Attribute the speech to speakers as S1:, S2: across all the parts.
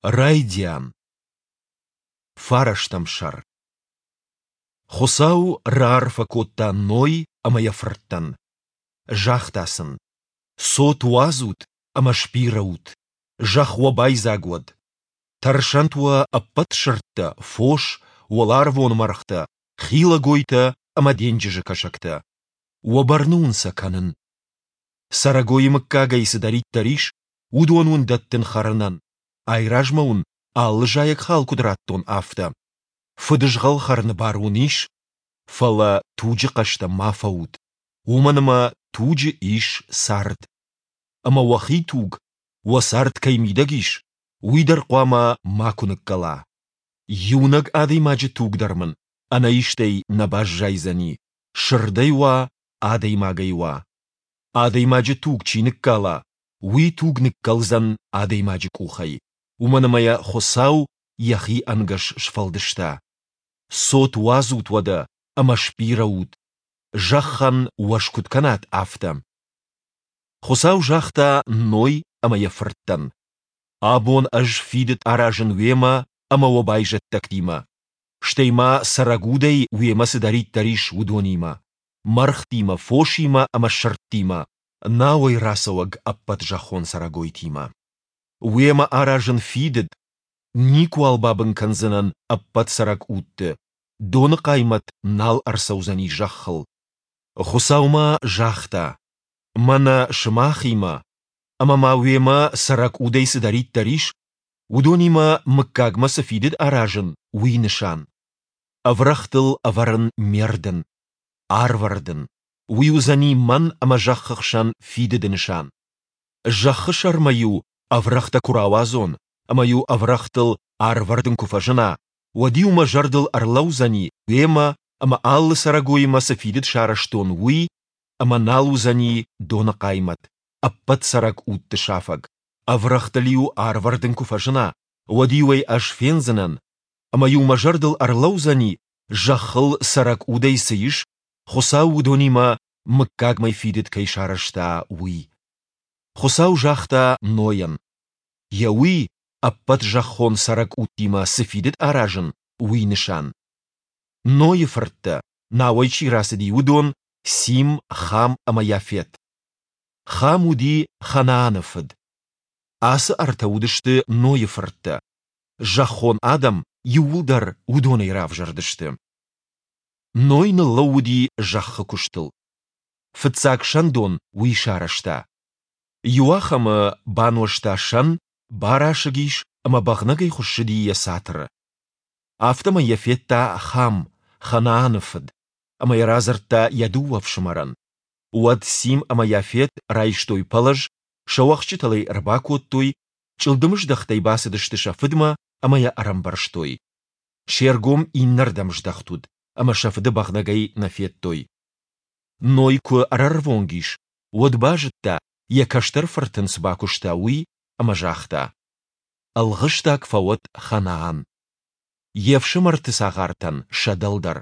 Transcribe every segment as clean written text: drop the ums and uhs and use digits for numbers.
S1: Райдиан. Фарӕстӕм сӕр. Хуыцау раарфӕ кодта Ной ӕмӕ йӕ фырттӕн. Загъта сын: Цот уадзут ӕмӕ сбирӕ ут, зӕхх уӕ байдзаг уӕд. Тӕрсӕнт уӕ ӕппӕт сырдтӕ, фос, уӕларвон мӕргътӕ, хилӕгойтӕ ӕмӕ денджызы кӕсӕгтӕ. Уӕ бӕрны уын сӕ кӕнын. Цӕрӕгойы мыггагӕй цыдӕриддӕр ис, уыдон уын дӕттын хӕрынӕн, айразмӕ уын алы зайӕгхал куыд радтон, афтӕ. Фыдызгъӕл хӕрыны бар уын ис, фӕлӕ туджы хъӕстӕ ма фӕут, уымӕн ӕмӕ туджы ис цард. Ӕмӕ уӕхи туг, уӕ цард кӕй мидӕг ис, уый дӕр хъуамӕ макуы ныккӕла. Иунӕг адӕймаджы туг дӕр мын ӕнӕистӕй нӕ баззайдзӕни, сырдӕй уа, адӕймагӕй уа. Адӕймаджы туг чи ныккала, уый туг ныккӕлдзӕн адӕймаджы къухӕй, уымӕн ӕмӕ йӕ Хуыцау йӕхи ӕнгӕс сфӕлдыста. Цот уадзут уӕдӕ ӕмӕ сбирӕ ут, зӕххӕн уӕз куыд кӕнат, афтӕ. Хуыцау загъта Ной ӕмӕ йӕ фырттӕн: Абон ӕз фидыд аразын уемӕ ӕмӕ уӕ байзӕддӕгтимӕ, стӕй ма цӕрӕг удӕй уемӕ цыдӕриддӕр ис, уыдонимӕ, мӕргътимӕ, фосимӕ ӕмӕ сырдтимӕ, науӕй рацӕуӕг ӕппӕт зӕххон цӕрӕгойтимӕ. Уемӕ аразын фидыд, никуал бабын кӕндзынӕн ӕппӕт цӕрӕг удты, доны хъаймӕт нал ӕрцӕудзӕни зӕххыл. Хуыцау ма загъта, Мӕнӕ сымахимӕ, ӕмӕ ма уемӕ цӕрӕг удӕй цыдӕриддӕр ис, уыдонимӕ мыггагмӕ цы фидыд аразын, уый нысан. Ӕврӕгътыл ӕвӕрын ме рдын, арвӕрдын, уый уыдзӕни мӕн ӕмӕ зӕххы хсӕн фидыды нысан. Зӕххы сӕрмӕ-иу ӕврӕгътӕ куы рауадзон ӕмӕ-иу ӕврӕгътыл арвӕрдын куы фӕзына, уӕд-иу мӕ зӕрдыл ӕрлӕудзӕни уемӕ ӕмӕ алы цӕрӕгоимӕ цы фидыд сарӕзтон, уый, ӕмӕ нал уыдзӕни доны хъаймӕт, ӕппӕт цӕрӕг удты сафӕг. Ӕврӕгътыл-иу арвӕрдын куы фӕзына, уӕд-иу ӕй ӕз фендзынӕн, ӕмӕ-иу мӕ зӕрдыл ӕрлӕудзӕни, зӕххыл цӕрӕг удӕй цы ис, Хуыцау уыдонимӕ мыггагмӕ фидыд кӕй сарӕзта, уый. Хуыцау загъта Нойӕн, йӕ уый ӕппӕт зӕххон цӕрӕг удтимӕ цы фидыд аразын, уый нысан. Нойы фырттӕ, науӕй чи рацыди, уыдон, Сим, Хам ӕмӕ Яфет. Хам уыди Ханааны фыд. Ацы ӕртӕ уыдысты Нойы фырттӕ. Зӕххон адӕм иууылдӕр уыдонӕй равзӕрдысты. Ной ныллӕууыди зӕххы куыстыл. Фыццаг сӕндон уый сарӕзта. Иуахӕмы бануӕзта сӕн, барасыг ис ӕмӕ бӕгънӕгӕй хуыссыди йӕ цатыры. Афтӕмӕй йӕ федта Хам, Ханааны фыд, ӕмӕ йӕ радзырдта йӕ дыууӕ фсымӕрӕн. Уӕд Сим ӕмӕ Яфет райстой пӕлӕз, сӕ уӕхсчытыл ӕй ӕрбакодтой, чъылдымыздӕхтӕй бацыдысты сӕ фыдмӕ ӕмӕ йӕ ӕрӕмбӕрзтой. Се ргом иннӕрдӕм здӕхт уыд, ӕмӕ сӕ фыды бӕгънӕгӕй нӕ федтой. Ной куы ӕрӕрвонг ис, уӕд базыдта, йӕ кӕстӕр фырт ын цы бакуыста, уый, ӕмӕ загъта: Ӕлгъыстаг фӕуӕд Ханаан. Йе фсымӕрты цагъартӕн сӕ дӕлдӕр.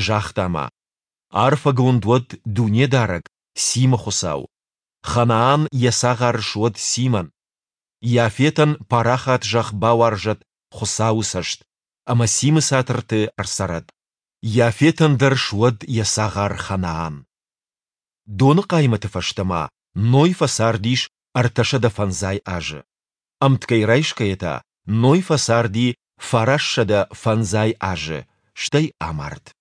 S1: Загъта ма: Арфӕгонд уӕд Дунедарӕг, Симы Хуыцау. Ханаан йӕ цагъар суӕд Симӕн. Иафетӕн парахат зӕхх бауарзӕд Хуыцауы цӕст, ӕмӕ Симы цатырты ӕрцӕрӕд. Иафетӕн дӕр суӕд йӕ цагъар Ханаан. Доны хъаймӕты фӕстӕ ма Ной фӕцардис 350 азы. Ӕмткӕй райсгӕйӕ та Ной фӕцарди 950 азы, стӕй амард.